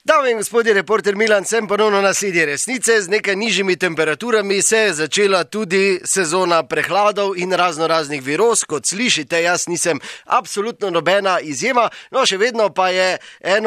Dame in gospodje, reporter Milan, sem ponovno na sledi resnice. Z nekaj nižjimi temperaturami se je začela tudi sezona prehladov in raznih viroz. Kot slišite, jaz nisem absolutno nobena izjema, no še vedno pa je eden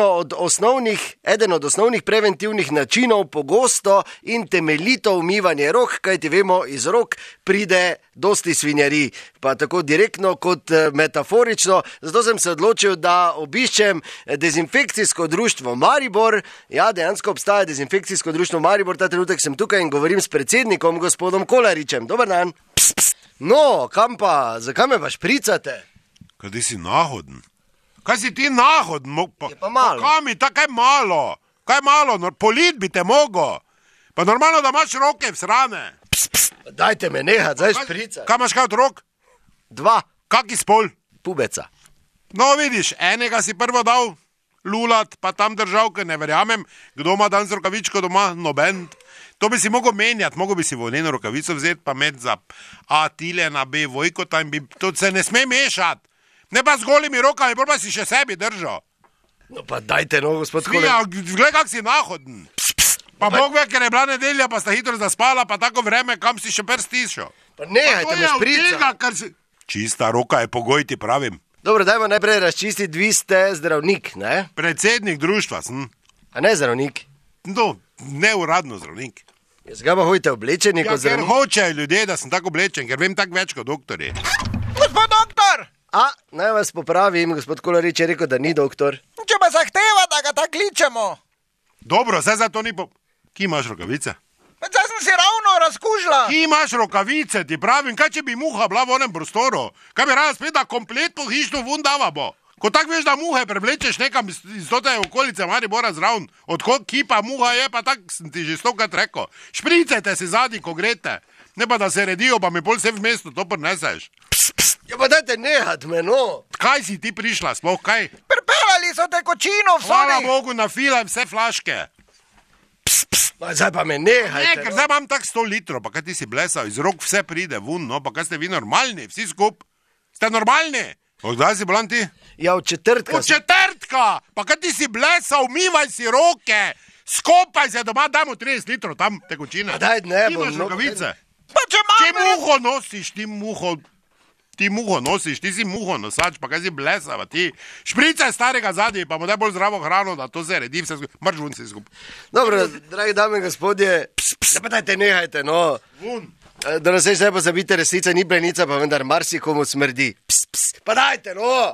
od osnovnih preventivnih načinov pogosto in temeljito umivanje rok, kajti vemo, iz rok pride dosti svinjarij, pa tako direktno kot metaforično. Zato sem se odločil, da obiščem dezinfekcijsko društvo Maribor. Ja, dejansko obstaja dezinfekcijsko društvo Maribor, ta trenutek sem tukaj in govorim s predsednikom, gospodom Kolaričem. Dober dan. No, kam pa, zakaj me pa špricate? Kaj ti si nahoden? Kaj si ti nahoden? Je pa malo. Kaj mi, kaj malo? Kaj malo, polit bi te mogo. Pa normalno, da imaš roke vsrane. Dajte me nehat, zdaj špricati. Kaj imaš kaj od rok? 2. Kaki spol? Pubeca. No, vidiš, enega si prvo dal lulat, pa tam držal, ker ne verjamem, kdo ima danes rokavičko doma, noben. To bi si mogel menjati, mogel bi si volneno rokavico vzeti, pa med za A tile na B vojkota in bi, to se ne sme mešati. Ne pa z golimi rokami, pa si še sebi držal. No pa dajte, no, gospod Kolarič. Glej, kak si nahoden. Pa Bog ve, ker je bila nedelja, pa sta hitro zaspala, pa tako vreme, kam si še prstišel. Pa nehajte me špricati. Čista roka je pogoj, ti pravim. Dobro, dajmo najprej razčistiti, vi ste zdravnik, ne? Predsednik društva sem. A ne zdravnik? No, neuradno zdravnik. Jaz ga pa hojte oblečeni kot zdravnik? Ker hočejo ljudje, da sem tako oblečen, ker vem tako več kot doktorji. Gospod doktor! Naj vas popravim, gospod Kolarič je rekel, da ni doktor. Če pa zahteva, da ga tako kličemo. Dobro, zdaj za to ni Ki imaš rokavice? Zdaj sem si ravno razkužila. Ki imaš rokavice, ti pravim, kaj če bi muha bila v onem prostoru? Kaj bi rada spet, da kompletno hišno vun dava bo? Ko tako veš, da muhe preblečeš nekam iz tote okolice Maribora zraven, odkot kipa muha je, pa tako sem ti že stokrat rekel. Špricajte si zadnji, ko grete. Ne pa da se redijo, pa mi pol vse v mestu to prineseš. Ja pa dajte nehat me, no. Kaj si ti prišla, sploh kaj? Pripeljali so tekočino v Hvala soli. Bogu, nafila vse flaške. Zdaj pa me nehajte. Ne, ker zdaj imam tak 100 litrov, pa kaj ti si blesal, iz rok vse pride vun, no, pa kaj ste vi normalni, vsi skup? Ste normalni? Kdaj si bolan ti? Ja, od četrtka. Od četrtka! Pa kaj ti si blesal, umivaj si roke, skopaj se doma, dajmo 30 litrov tam tekočine. Daj, ne Ti bom. imaš rokavice. Pa če Če imam... muho nosiš, ti muho nosiš, ti si muho nosač, pa kaj si blesava, ti špricaj starega zadnji, pa mu daj bolj zdravo hrano, da to se redi, vse skupaj, mrč vun si skupaj. Dobro, dragi dame in gospodje, pa dajte nehajte, no. Vun. Da nas zdaj pa zabite, resnica ni plenica, pa vendar marsikomu smrdi. Pa dajte, no.